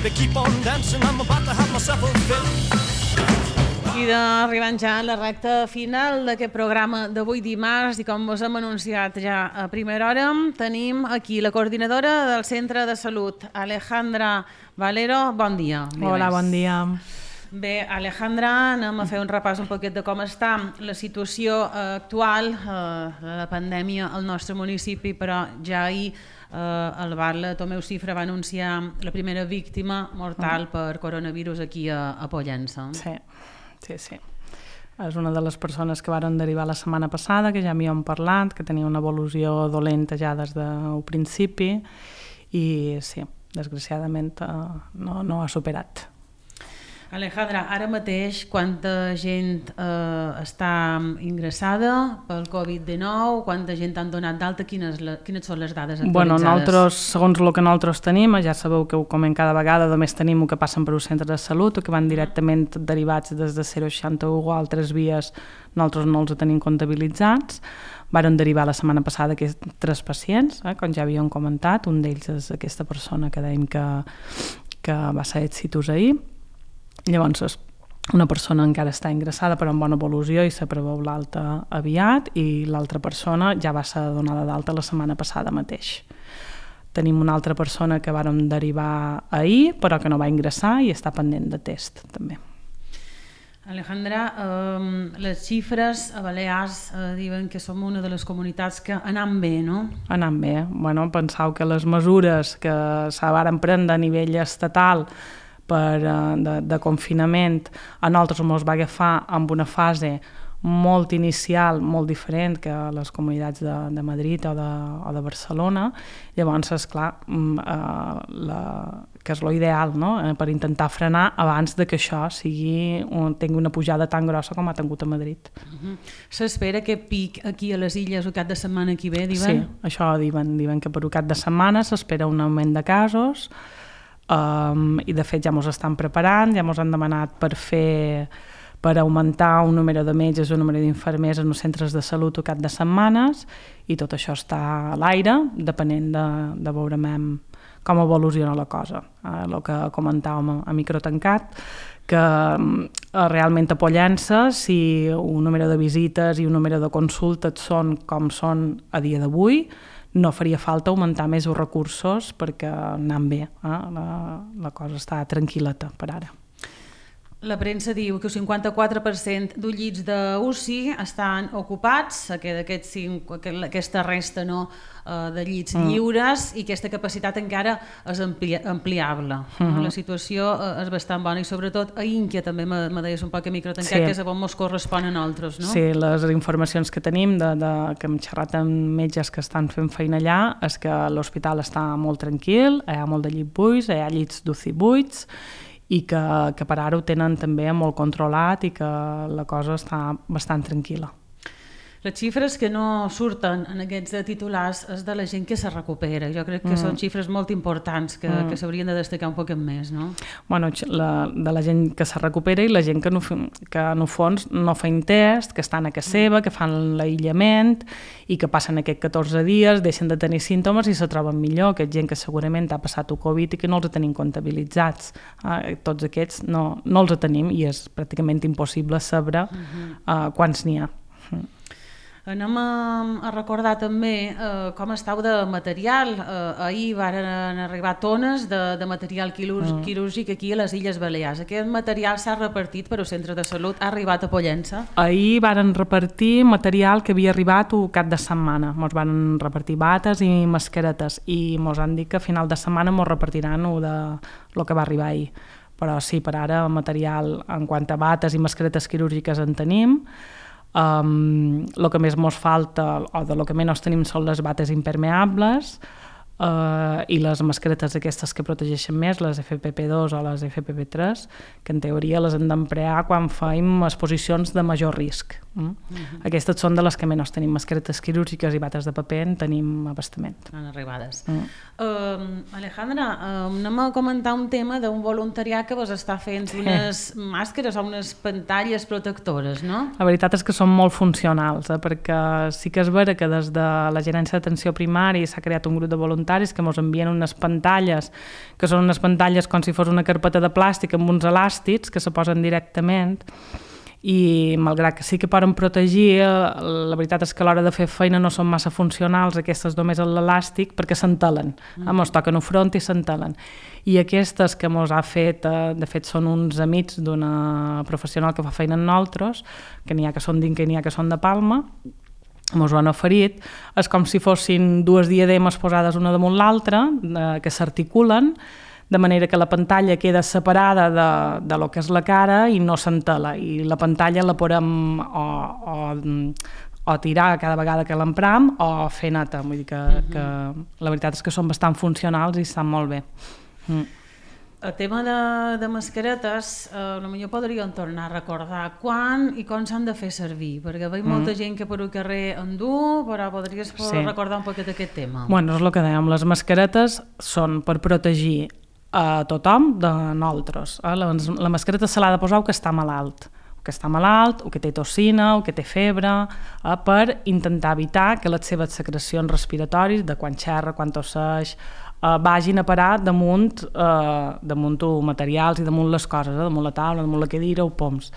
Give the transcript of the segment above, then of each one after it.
baby, keep on dancing, I'm about to have myself a fit. I arribant ja a la recta final d'aquest programa d'avui dimarts i com us hem anunciat ja a primera hora, tenim aquí la coordinadora del Centre de Salut, Alejandra Valero. Bon dia. Hola, bon dia. Bé, Alejandra, anem a fer un repàs un poquet de com està la situació actual, la pandèmia al nostre municipi, però ja ahir el Barla Tomeu Cifra va anunciar la primera víctima mortal per coronavirus aquí a Pollença. Sí. És una de les persones que varen derivar la setmana passada, que ja m'hi hem parlat, que tenia una evolució dolenta ja des del principi i sí, desgraciadament no ha superat. Alejandra, ara mateix quanta gent està ingressada pel Covid-19, quanta gent han donat d'alta, quines són les dades actualitzades? Bueno, nosaltres, segons el que nosaltres tenim, ja sabeu que ho comem cada vegada, només tenim el que passen per un centre de salut, o que van directament derivats des de 061 o altres vies, nosaltres no els tenim comptabilitzats. Varen derivar la setmana passada 3 pacients, com ja havíem comentat, un d'ells és aquesta persona que dèiem que va ser exitus ahir. Llavors, una persona encara està ingressada però amb bona evolució i se preveu l'alta aviat i l'altra persona ja va ser donada d'alta la setmana passada mateix. Tenim una altra persona que vàrem derivar ahir però que no va ingressar i està pendent de test també. Alejandra, les xifres a Balears diuen que som una de les comunitats que anam bé, no? Anam bé. Bueno, penseu que les mesures que se varen prendre a nivell estatal de confinament a nosaltres ens va agafar amb una fase molt inicial, molt diferent que les comunitats de Madrid o de Barcelona. Llavors, esclar, que és l'ideal, no? Per intentar frenar abans de que això tingui una pujada tan grossa com ha tingut a Madrid. S'espera que pic aquí a les Illes el cap de setmana que ve, diuen? Sí, això diuen que per el cap de setmana s'espera un augment de casos. I de fet ja ens estan preparant, ja ens han demanat per augmentar un número de metges o un número d'infermers en els centres de salut al cap de setmanes i tot això està a l'aire depenent de veure com evoluciona la cosa. El que comentàvem a micro tancat, que realment a Pollença, si un número de visites i un número de consultes són com són a dia d'avui, no faria falta augmentar més els recursos perquè anem bé, la cosa està tranquil·leta per ara. La premsa diu que el 54% dels llits d'UCI estan ocupats, que aquesta resta de llits lliures i aquesta capacitat encara és ampliable. La situació és bastant bona i sobretot a Ínquia també me deies un poc a microtancat, que és on ens correspon a nosaltres, no? Sí, les informacions que tenim, que hem xerrat amb metges que estan fent feina allà, és que l'hospital està molt tranquil, hi ha molt de llits buits, hi ha llits d'UCI buits, i que per ara ho tenen també molt controlat i que la cosa està bastant tranquil·la. Les xifres que no surten en aquests titulars és de la gent que se recupera. Jo crec que són xifres molt importants que s'haurien de destacar un poc més, no? Bueno, de la gent que se recupera i la gent que en el fons no feien test, que estan a casa seva, que fan l'aïllament i que passen aquests 14 dies, deixen de tenir símptomes i se troben millor. Aquesta gent que segurament ha passat el Covid i que no els tenim comptabilitzats. Tots aquests no els tenim i és pràcticament impossible saber quants n'hi ha. Anem a recordar també com estàu de material. Ahir varen arribar tones de material quirúrgic aquí a les Illes Balears. Aquest material s'ha repartit per al centre de salut, ha arribat a Pollença? Ahir varen repartir material que havia arribat el cap de setmana. Ens van repartir bates i mascaretes i ens han dit que a final de setmana ens repartiran el que va arribar ahir. Però sí, per ara material en quant a bates i mascaretes quirúrgiques en tenim. El que més ens falta o de lo que menys tenim són les bates impermeables i les mascaretes aquestes que protegeixen més, les FFP2 o les FFP3, que en teoria les hem d'emplear quan fem exposicions de major risc. Aquestes són de les que menys tenim. Mascaretes quirúrgiques i bates de paper en tenim abastament. Han arribades. Alejandra, anem a comentar un tema d'un voluntariat que vos està fent unes màscares o unes pantalles protectores, no? La veritat és que són molt funcionals, perquè sí que és vera que des de la gerència d'atenció primària s'ha creat un grup de voluntaris voluntaris que ens envien unes pantalles, que són unes pantalles com si fos una carpeta de plàstic amb uns elàstics que se posen directament, i malgrat que sí que poden protegir, la veritat és que a l'hora de fer feina no són massa funcionals aquestes només a l'elàstic perquè s'entelen, ens toquen el front i s'entelen. I aquestes que ens ha fet, de fet són uns amics d'una professional que fa feina amb nosaltres, que n'hi ha que són d'Inca i n'hi ha que són de Palma, ens ho han oferit, és com si fossin dues diademes posades una damunt l'altra, que s'articulen, de manera que la pantalla queda separada de lo que és la cara i no s'entela, i la pantalla la podem o tirar cada vegada que l'empram o fer neta, vull dir que la veritat és que són bastant funcionals i estan molt bé. El tema de mascaretes, potser podríem tornar a recordar quan i com s'han de fer servir, perquè veig molta gent que per el carrer en du, però podries recordar un poquet aquest tema. Bueno, és el que dèiem, les mascaretes són per protegir a tothom de nosaltres. La mascareta se l'ha de posar el que està malalt, o que té tossina, o que té febre, per intentar evitar que les seves secrecions respiratòries, de quan xerra, quan tosseix, vagin a parar damunt materials i damunt les coses, damunt la taula, damunt la cadira o poms.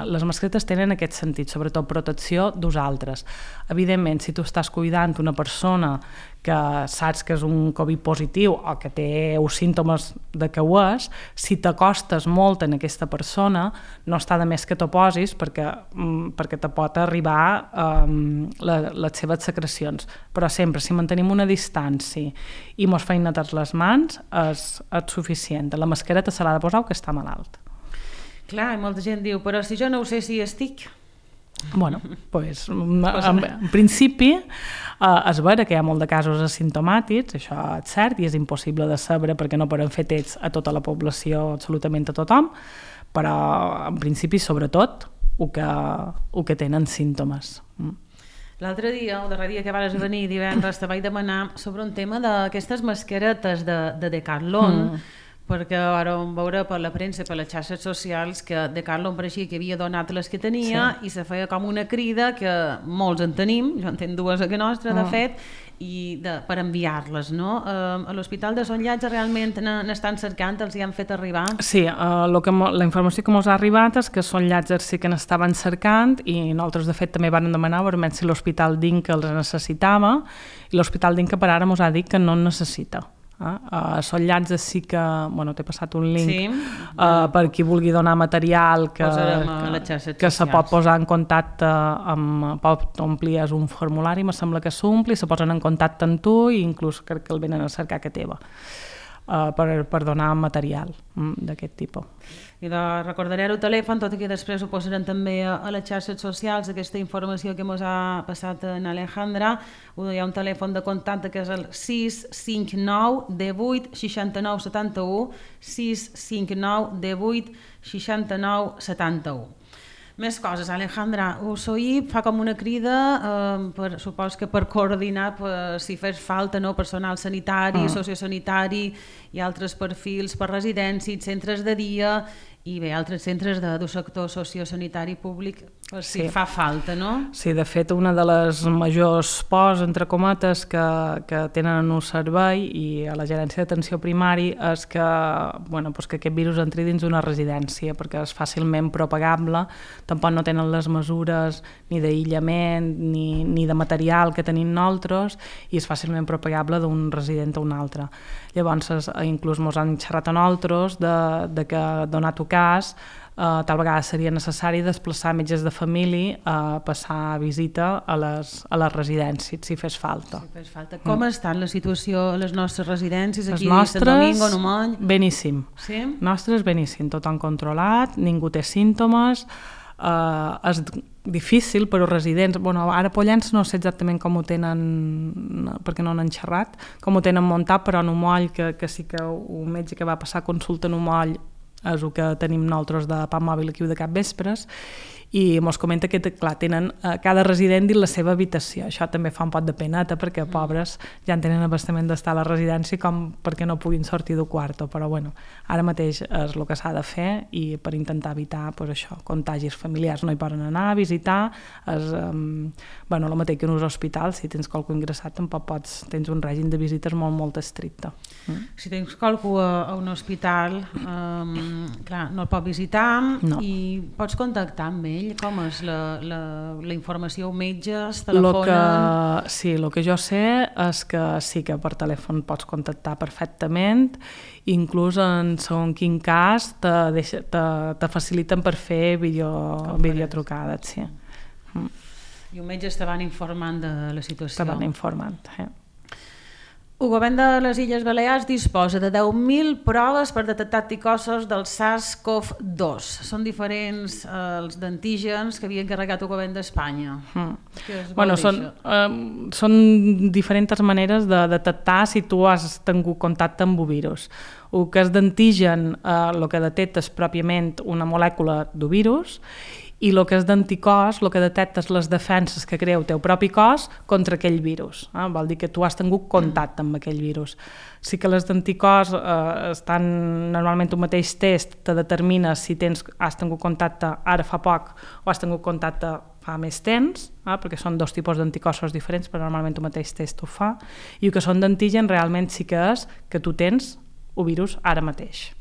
Les mascaretes tenen aquest sentit, sobretot protecció d'usaltres. Evidentment, si tu estàs cuidant una persona que saps que és un Covid positiu o que té uns símptomes de que ho és, si t'acostes molt en aquesta persona, no està de més que t'ho posis perquè te pot arribar les seves secrecions. Però sempre, si mantenim una distància i mos feim netar les mans, és suficient. La mascareta se l'ha de posar el que està malalt. Clar, molta gent diu, però si jo no ho sé si estic... Bueno, pues, en principi és vera que hi ha molt de casos asimptomàtics, això és cert, i és impossible de saber perquè no podem fer tests a tota la població, absolutament a tothom, però en principi, sobretot, el que tenen símptomes. L'altre dia, el darrer dia que vas venir divendres, te vaig demanar sobre un tema d'aquestes mascaretes de Decathlon, perquè vam veure per la premsa i per les xarxes socials que Decathlon pareixia que havia donat les que tenia i se feia com una crida que molts en tenim, jo en tenc dues a que nostra de fet, per enviar-les, no? A l'Hospital de Son Llàtzer realment n'estan cercant, els hi han fet arribar? Sí, la informació que ens ha arribat és que Son Llàtzer sí que n'estaven cercant i nosaltres de fet també vam demanar veurem si l'Hospital d'Inca els necessitava i l'Hospital d'Inca per ara ens ha dit que no en necessita. A Son Llàtzer sí que, t'he passat un link per qui vulgui donar material que se pot posar en contacte pot omplir un formulari, me sembla que s'ompli, se posen en contacte amb tu i inclús crec que el venen a cercar que teva per donar material d'aquest tipus. I recordaré el telèfon, tot i que després ho posarem també a les xarxes socials, aquesta informació que ens ha passat en Alejandra. Hi ha un telèfon de contacte que és el 659 18 69 71, 659 18 69 71. Més coses, Alejandra, Usoi fa com una crida, supos que per coordinar si fes falta personal sanitari, sociosanitari i altres perfils per residències, centres de dia i bé, altres centres del sector sociosanitari públic, si fa falta, no? Sí, de fet, una de les majors pors, entre cometes, que tenen en un servei i a la gerència d'atenció primari és que aquest virus entri dins d'una residència, perquè és fàcilment propagable, tampoc no tenen les mesures ni d'aïllament ni de material que tenim nosaltres i és fàcilment propagable d'un resident a un altre. Llavors, inclús ens han xerrat a nosaltres de que, donat el cas, tal vegada seria necessari desplaçar metges de família a passar visita a les residències, si fes falta. Com està la situació a les nostres residències aquí a Sant Domingo, Numany? Beníssim. Sí? Nostres beníssim, tothom controlat, ningú té símptomes, és difícil per als residents, ara a Pollens no sé exactament com ho tenen, perquè no n'han xerrat, com ho tenen muntat, però en Umoll, que sí que un metge que va passar consulta en Umoll és el que tenim nosaltres de PAM mòbil aquí de capvespres i mos comenta que, clar, tenen cada resident dins la seva habitació. Això també fa un pot de peneta, perquè pobres ja en tenen abastament d'estar a la residència com perquè no puguin sortir del quarto, però bueno, ara mateix és el que s'ha de fer i per intentar evitar pues, això, contagis familiars. No hi poden anar a visitar, bueno, el mateix que en un hospital, si tens qualcú ingressat tampoc pots, tens un règim de visites molt estricte. Si tens qualcú a un hospital, clar, no el pot visitar i pots contactar amb ell. Com és la informació? Metges, telefonen? Sí, el que jo sé és que sí que per telèfon pots contactar perfectament, inclús en segons quin cas te faciliten per fer videotrucades, sí. I un metge estaven informant de la situació. Estaven informant, El govern de les Illes Balears disposa de 10.000 proves per detectar anticossos del SARS-CoV-2. Són diferents els d'antígens que havia encarregat el govern d'Espanya. Bueno, són diferents maneres de detectar si tu has tingut contacte amb el virus. El que és d'antigen, el que detecta és pròpiament una molècula del virus, i el que és d'anticòs, el que detecta és les defenses que crea el teu propi cos contra aquell virus. Vol dir que tu has tingut contacte amb aquell virus. Sí que les d'anticòs estan normalment un mateix test, te determina si has tingut contacte ara fa poc o has tingut contacte fa més temps, perquè són dos tipus d'anticossos diferents, però normalment un mateix test ho fa, i el que són d'antigen realment sí que és que tu tens el virus ara mateix.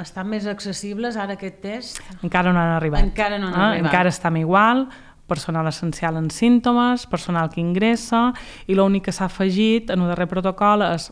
Estan més accessibles ara aquest test? Encara no han arribat. Encara estem igual, personal essencial en símptomes, personal que ingressa, i l'únic que s'ha afegit en el darrer protocol és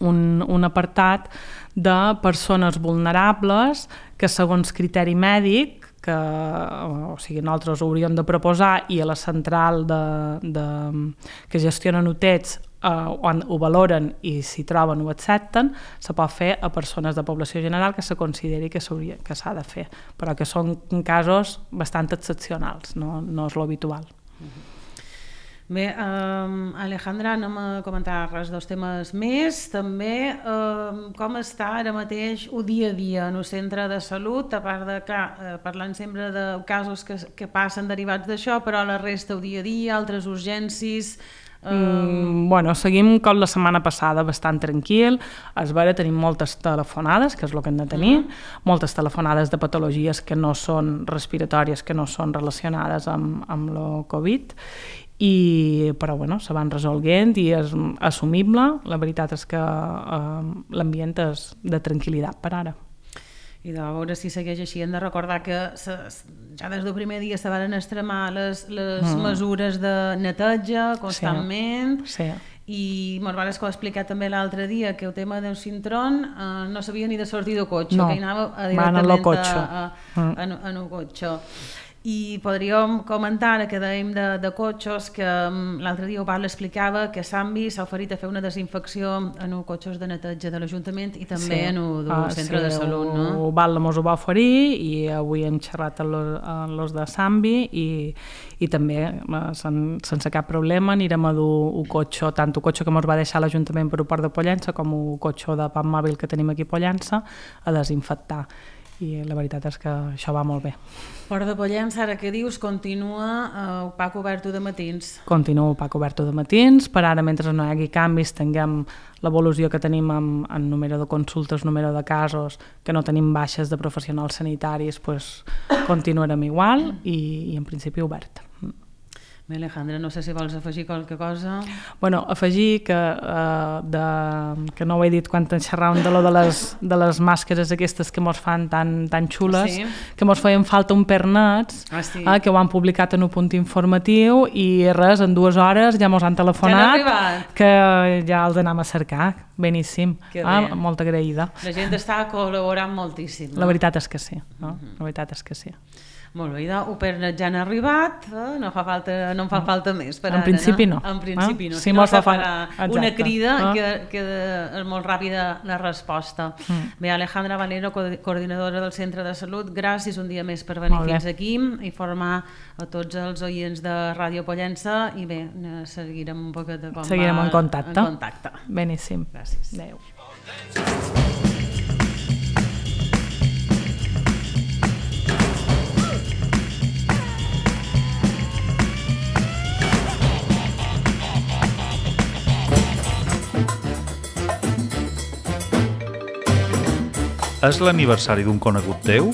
un apartat de persones vulnerables que segons criteri mèdic, o sigui, nosaltres ho hauríem de proposar i a la central que gestionen hotels ho valoren i si troben ho accepten, se pot fer a persones de població general que se consideri que s'ha de fer, però que són casos bastant excepcionals, no és l'habitual. Bé, Alejandra, anem a comentar res dels temes més. També com està ara mateix el dia a dia en el centre de salut, a part de que parlant sempre de casos que passen derivats d'això, però la resta el dia a dia, altres urgències... Bueno, seguim com la setmana passada, bastant tranquil. És vera, tenim moltes telefonades, que és el que hem de tenir, moltes telefonades de patologies que no són respiratòries, que no són relacionades amb el Covid, però bueno, se van resolguent i és assumible. La veritat és que l'ambient és de tranquil·litat per ara. I de veure si segueix així. Hem de recordar que ja des del primer dia se van extremar les mesures de neteja constantment. Sí. I ens vas explicar també l'altre dia que el tema del cintrón no sabia ni de sortir del cotxe, que hi anava directament en el cotxe. I podríem comentar que dèiem de cotxes que l'altre dia el Val explicava que Sambi s'ha oferit a fer una desinfecció en els cotxes de neteja de l'Ajuntament i també en el centre de salut, no? El Val mos ho va oferir i avui hem xerrat amb els de Sambi i també sense cap problema anirem a dur el cotxe, tant el cotxe que mos va deixar l'Ajuntament per el Port de Pollença com el cotxe de Pam Mòbil que tenim aquí a Pollença a desinfectar. I la veritat és que això va molt bé. Port de Pollença, ara que dius, continua el PAC obert de matins? Continua el PAC obert de matins, per ara mentre no hi hagi canvis tinguem l'evolució que tenim en número de consultes, número de casos, que no tenim baixes de professionals sanitaris, continuarem igual i en principi obert. Bé, Alejandra, no sé si vols afegir qualque cosa. Bueno, afegir que no ho he dit quan xerràvem de les màscares aquestes que mos fan tan xules, que mos feien falta un pernets, que ho han publicat en un punt informatiu i res, en 2 hores ja mos han telefonat que ja els anem a cercar. Beníssim, molt agraïda. La gent està col·laborant moltíssim. La veritat és que sí, la veritat és que sí. Molt bé, el pernet ja han arribat, no em fa falta més per ara. En principi no. En principi no, si no se farà una crida que és molt ràpida la resposta. Bé, Alejandra Valero, coordinadora del Centre de Salut, gràcies un dia més per venir fins aquí i formar a tots els oients de Ràdio Pollença i bé, seguirem un poquet de com seguirem va en contacte. Beníssim. Gràcies. Adéu. És l'aniversari d'un conegut teu?